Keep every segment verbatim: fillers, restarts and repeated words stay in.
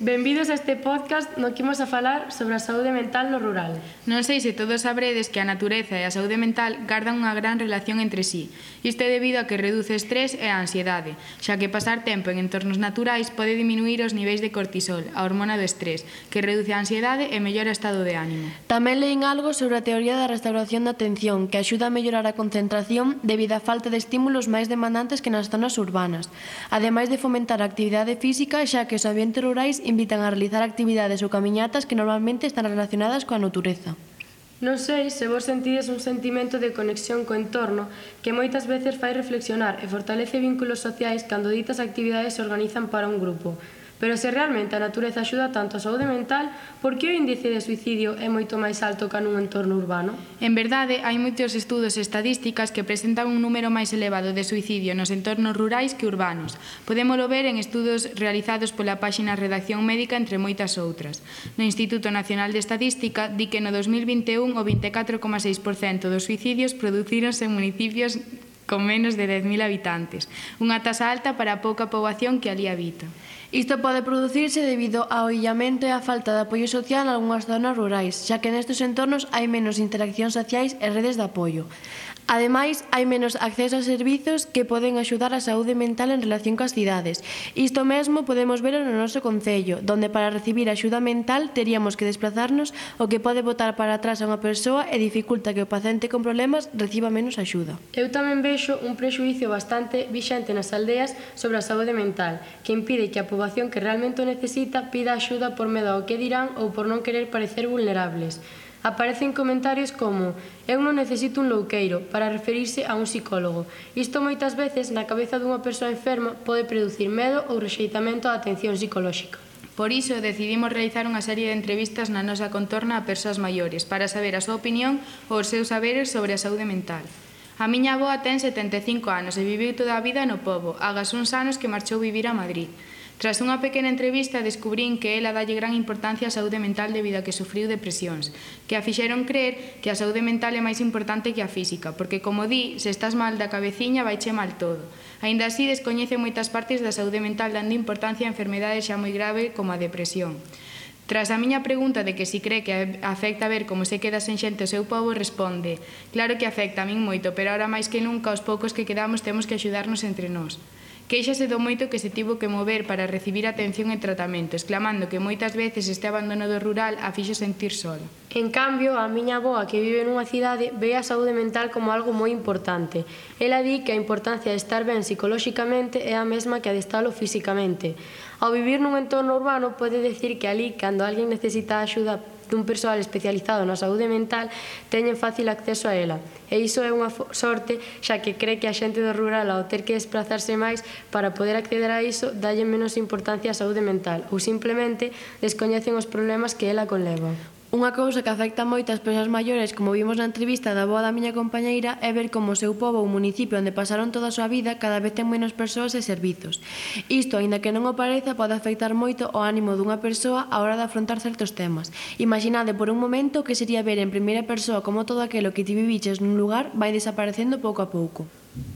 Benvidos a este podcast no que imos a falar sobre a saúde mental no rural. Non sei se todos sabredes que a natureza e a saúde mental gardan unha gran relación entre sí. Isto é debido a que reduce o estrés e a ansiedade, xa que pasar tempo en entornos naturais pode diminuir os niveis de cortisol, a hormona do estrés, que reduce a ansiedade e mellora o estado de ánimo. Tamén leín algo sobre a teoría da restauración da atención, que axuda a mellorar a concentración debido á falta de estímulos máis demandantes que nas zonas urbanas, ademais de fomentar a actividade física, xa que os ambientes rurais invitan a realizar actividades ou camiñatas que normalmente están relacionadas coa natureza. Non sei se vos sentides un sentimento de conexión co entorno que moitas veces fai reflexionar e fortalece vínculos sociais cando ditas actividades se organizan para un grupo. Pero se realmente a natureza axuda tanto a saúde mental, por que o índice de suicidio é moito máis alto que nun entorno urbano? En verdade, hai moitos estudos e estadísticas que presentan un número máis elevado de suicidio nos entornos rurais que urbanos. Podémolo ver en estudos realizados pola páxina Redacción Médica, entre moitas outras. No Instituto Nacional de Estadística di que no dos mil vinte e un o vinte e catro coma seis por cento dos suicidios producíronse en municipios con menos de dez mil habitantes, unha tasa alta para a pouca poboación que ali habita. Isto pode producirse debido ao illamento e á falta de apoio social en algunhas zonas rurais, xa que nestes entornos hai menos interaccións sociais e redes de apoio. Ademais, hai menos acceso a servizos que poden axudar a saúde mental en relación coas cidades. Isto mesmo podemos ver no noso concello, donde para recibir axuda mental teríamos que desplazarnos, o que pode botar para atrás a unha persoa e dificulta que o paciente con problemas reciba menos axuda. Eu tamén vexo un prexuízo bastante vixente nas aldeas sobre a saúde mental, que impide que a poboación que realmente o necesita pida axuda por medo ao que dirán ou por non querer parecer vulnerables. Aparecen comentarios como «Eu non necesito un louqueiro» para referirse a un psicólogo. Isto moitas veces na cabeza dunha persoa enferma pode producir medo ou rexeitamento á atención psicolóxica. Por iso decidimos realizar unha serie de entrevistas na nosa contorna a persoas maiores para saber a súa opinión ou os seus saberes sobre a saúde mental. A miña avoa ten setenta e cinco anos e viviu toda a vida no pobo, agas uns anos que marchou vivir a Madrid. Tras unha pequena entrevista descubrín que ela dalle gran importancia á saúde mental debido a que sufriu depresións, que a fixeron creer que a saúde mental é máis importante que a física, porque, como di, se estás mal da cabeciña vaiche mal todo. Aínda así, descoñece moitas partes da saúde mental dando importancia a enfermedades xa moi grave como a depresión. Tras a miña pregunta de que si cree que afecta ver como se queda sen xente o seu pobo, responde: claro que afecta a min moito, pero ahora máis que nunca os poucos que quedamos temos que axudarnos entre nós. Quéixase do moito que se tivo que mover para recibir atención e tratamento, exclamando que moitas veces este abandono do rural a fixo sentir sola. En cambio, a miña avoa, que vive nunha cidade, ve a saúde mental como algo moi importante. Ela di que a importancia de estar ben psicolóxicamente é a mesma que a de estalo físicamente. Ao vivir nun entorno urbano, pode decir que ali, cando alguén necesita axuda dun persoal especializado na saúde mental, teñen fácil acceso a ela. E iso é unha sorte, xa que cree que a xente do rural, ao ter que desplazarse máis para poder acceder a iso, dalle menos importancia á saúde mental ou simplemente descoñecen os problemas que ela conleva. Unha cousa que afecta moito ás persoas maiores, como vimos na entrevista da avoa da miña compañeira, é ver como o seu pobo ou municipio onde pasaron toda a súa vida cada vez ten menos persoas e servizos. Isto, aínda que non o pareza, pode afectar moito o ánimo dunha persoa á hora de afrontar certos temas. Imaginade por un momento que sería ver en primeira persoa como todo aquilo que ti viviches nun lugar vai desaparecendo pouco a pouco.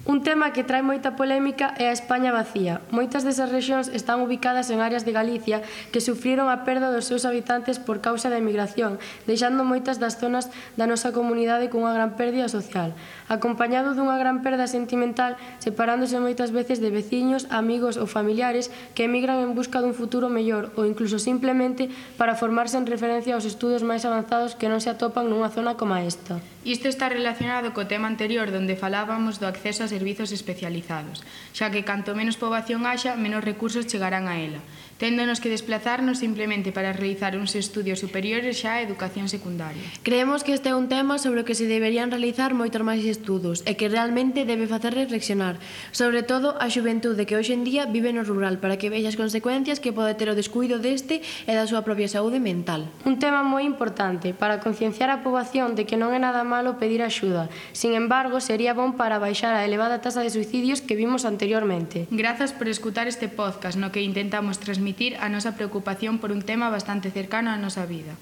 Un tema que trae moita polémica é a España vacía. Moitas desas rexións están ubicadas en áreas de Galicia que sufriron a perda dos seus habitantes por causa da emigración, deixando moitas das zonas da nosa comunidade cunha gran pérdida social, acompañado dunha gran perda sentimental, separándose moitas veces de veciños, amigos ou familiares que emigran en busca dun futuro mellor ou incluso simplemente para formarse en referencia aos estudos máis avanzados que non se atopan nunha zona como esta. Isto está relacionado co tema anterior onde falábamos do acceso a servizos especializados, xa que canto menos poboación haxa, menos recursos chegarán a ela, téndonos que desplazarnos simplemente para realizar uns estudios superiores xa a educación secundaria. Creemos que este é un tema sobre o que se deberían realizar moitos máis estudos e que realmente debe facer reflexionar, sobre todo a xuventude que hoxe en día vive no rural, para que vexa as consecuencias que pode ter o descuido deste e da súa propia saúde mental. Un tema moi importante para concienciar a poboación de que non é nada malo pedir axuda. Sin embargo, sería bon para baixar a elevada tasa de suicidios que vimos anteriormente. Grazas por escutar este podcast no que intentamos transmitir a nosa preocupación por un tema bastante cercano á nosa vida.